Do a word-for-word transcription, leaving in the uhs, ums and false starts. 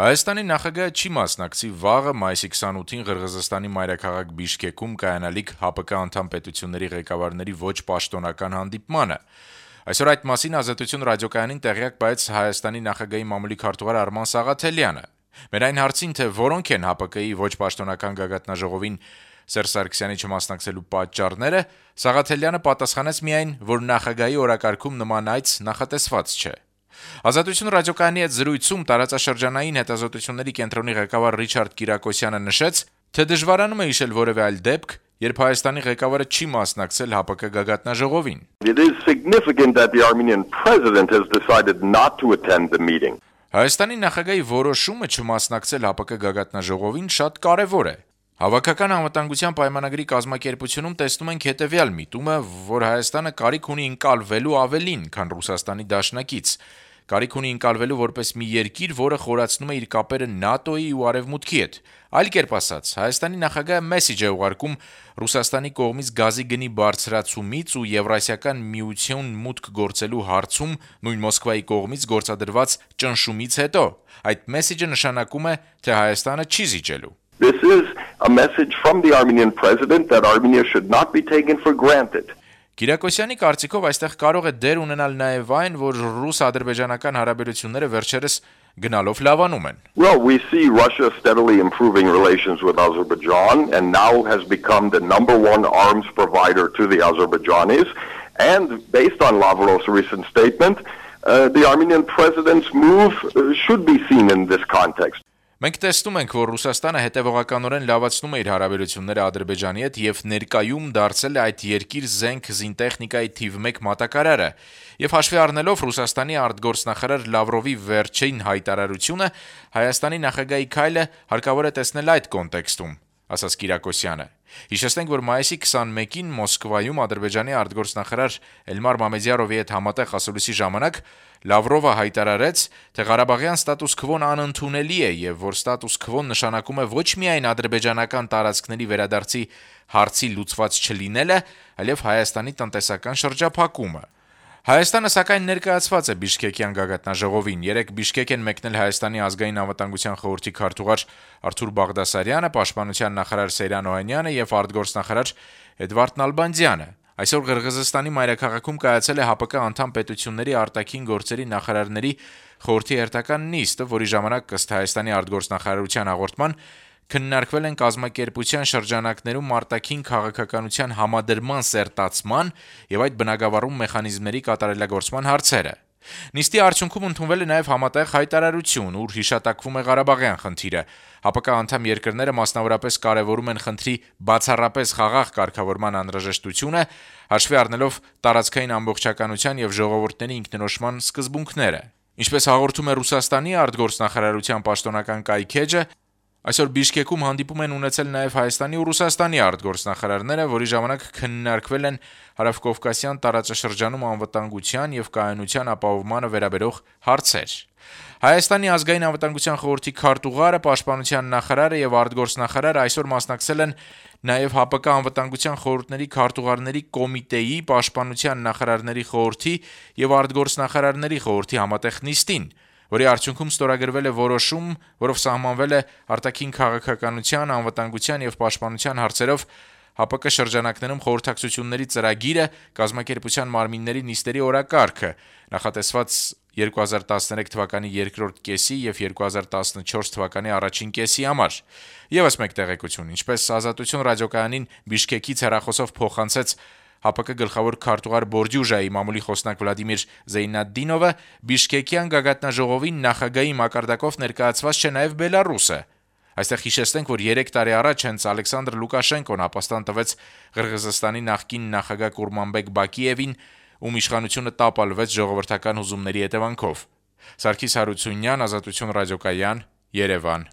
Հայաստանի նախագահը չի մասնակցի վաղը մայիսի քսանութին Ղրղըզստանի մայրաքաղաք Բիշկեքում կայանալիք ՀԱՊԿ անդամ պետությունների ղեկավարների ոչ պաշտոնական հանդիպմանը։ Այսօր այդ մասին Ազատություն ռադիոկայանին տեղյակ բայց Հայաստանի նախագահի մամուլի քարտուղար Արման Սաղաթելյանը։ Մեր այն հարցին, թե որոնք են ՀԱՊԿ-ի ոչ պաշտոնական գագաթնաժողովին Սերժ Սարգսյանի չմասնակցելու պատճառները, Սաղաթելյանը պատասխանեց միայն, որ նախագահի օրակարգում նման այց նախատեսված չէ։ Ազատություն ռադիոկայանի հետ զրույցում տարածաշրջանային հետազոտությունների կենտրոնի ղեկավար Ռիչարդ Կիրակոսյանը նշեց, թե դժվարանում է հիշել որևէ այլ դեպք, երբ Հայաստանի ղեկավարը չի մասնակցել ՀԱՊԿ գագաթնաժողովին։ It is significant that the Armenian president has decided not to attend the meeting. Հայաստանի նախագահի որոշումը չմասնակցել ՀԱՊԿ գագաթնաժողովին շատ կարևոր է։ Հավաքական անվտանգության պայմանագրի կազմակերպությունում տեսնում ենք հետևյալ միտումը, որ Հայաստանը կարիք ունի ընկալվելու ավելին, քան Ռուսաստանի դաշնակից։ Կարիք ունի ընկալվելու որպես մի երկիր, որը խորացնում է իր կապերը ՆԱՏՕ-ի ու Արևմուտքի հետ։ Այլ կերպ ասած, Հայաստանի նախագահը մեսիջ է ուղարկում Ռուսաստանի կողմից գազի գնի բարձրացումից ու Եվրասիական միություն մուտք գործելու հարցում նույն Մոսկվայի կողմից գործադրված ճնշումից հետո։ Այդ մեսիջը նշանակում է, թե Հայաստանը չի զիջելու։ This is a message from the Armenian president that Armenia should not be taken for granted. Կիրակոսյանի կարծիքով այստեղ կարող է դեր ունենալ նաև այն, որ ռուս-ադրբեջանական հարաբերությունները վերջերս գնալով լավանում են։ Well, we see Russia steadily improving relations with Azerbaijan and now has become the number one arms provider to the Azerbaijanis. And based on Lavrov's recent statement, uh, the Armenian president's move uh, should be seen in this context. Մենք տեսնում ենք, որ Ռուսաստանը հետևողականորեն լավացնում է իր հարաբերությունները Ադրբեջանի հետ եւ ներկայում դարձել է այդ երկիր զենք զինտեխնիկայի թիվ մեկ մատակարարը։ Եվ հաշվի առնելով Ռուսաստանի արտգործնախարար Լավրովի վերջին հայտարարությունը, Հայաստանի նախագահի քայլը հարկավոր է տեսնել այդ կոնտեքստում, ասաց Կիրակոսյանը։ Հիշեցնենք, որ մայիսի քսանմեկին Մոսկվայում Ադրբեջանի արտգործնախարար Էլմար Մամեդյարովի հետ համատեղ ասուլիսի ժամանակ Լավրովը հայտարարեց, թե Ղարաբաղյան ստատուս քվոն անընդունելի է եւ որ ստատուս քվոն նշանակում է ոչ միայն ադրբեջանական տարածքների վերադարձի հարցի լուծված չլինելը, այլև Հայաստանի տնտեսական շրջափակումը։ Հայաստանը սակայն ներկայացված է Բիշկեկյան գագաթնաժողովին։ Երեկ Բիշկեք են մեկնել Հայաստանի ազգային անվտանգության խորհրդի քարտուղար Արթուր Բաղդասարյանը, պաշտպանության նախարար Սեյրան Օհանյանը եւ արտգործնախարար Էդվարդ Նալբանդյանը։ Այսօր Ղրղըզստանի մայրաքաղաքում կայացել է ՀԱՊԿ անդամ պետությունների արտաքին գործերի նախարարների խորհրդի հերթական նիստը, որի ժամանակ ըստ Հայաստանի արտգործնախարարության հաղորդման քննարկվել են կազմակերպության շրջանակներում արտաքին քաղաքականության համադրման սերտացման եւ այդ բնագավառում մեխանիզմների կատարելագործման հարցերը։ Նիստի արդյունքում ընդունվել է նաև համատեղ հայտարարություն, ուր հիշատակվում է Ղարաբաղյան խնդիրը։ ՀԱՊԿ անդամ երկրները մասնավորապես կարևորում են խնդրի բացառապես խաղաղ կարգավորման անհրաժեշտությունը, հաշվի առնելով տարածքային ամբողջականության եւ ժողովուրդների ինքնորոշման սկզբունքները։ Ինչպես հաղորդում է Ռուսաստանի արտգործնախարարության պաշտոնական կայքեջը, այսօր Բիշկեքում հանդիպում են ունեցել նաև Հայաստանի ու Ռուսաստանի արտգործնախարարները, որի ժամանակ քննարկվել են հարավկովկասյան տարածաշրջանում անվտանգության եւ կայունության ապահովմանը վերաբերող հարցեր։ Հայաստանի ազգային անվտանգության խորհրդի քարտուղարը, պաշտպանության նախարարը եւ արտգործնախարարը այսօր մասնակցել են նաև ՀԱՊԿ անվտանգության խորհուրդների քարտուղարների կոմիտեի, պաշտպանության նախարարների խորհրդի եւ արտգործնախարարների խորհրդի համատեղ նիստին, որի արդյունքում ստորագրվել է որոշում, որով սահմանվել է արտաքին քաղաքականության, անվտանգության եւ պաշտպանության հարցերով ՀԱՊԿ շրջանակներում խորհրդակցությունների ծրագիրը, կազմակերպության մարմինների նիստերի օրակարգը, նախատեսված երկու հազար տասներեք թվականի երկրորդ կեսի եւ երկու հազար տասնչորս թվականի առաջին կեսի համար։ Եվս մեկ տեղեկություն, ինչպես Ազատություն ռադիոկայանին Բիշկեկից հեռախոսով փոխանցեց ՀԱՊԿ գլխավոր քարտուղար Բորդյուժայի մամուլի խոսնակ Վլադիմիր Զեյնադդինովը, Բիշկեկյան գագաթնաժողովին նախագահի մակարդակով ներկայացված չէ նաև Բելարուսը։ Այստեղ հիշեցնենք, որ երեք տարի առաջ հենց Ալեքսանդր Լուկաշենկոն ապաստան տվեց Ղրղըզստանի նախկին նախագահ Կուրմանբեկ Բակիևին, ում իշխանությունը տապալվեց ժողովրդական հուզումների հետևանքով։ Սարգիս Հարությունյան, Ազատություն ռադիոկայան, Երևան։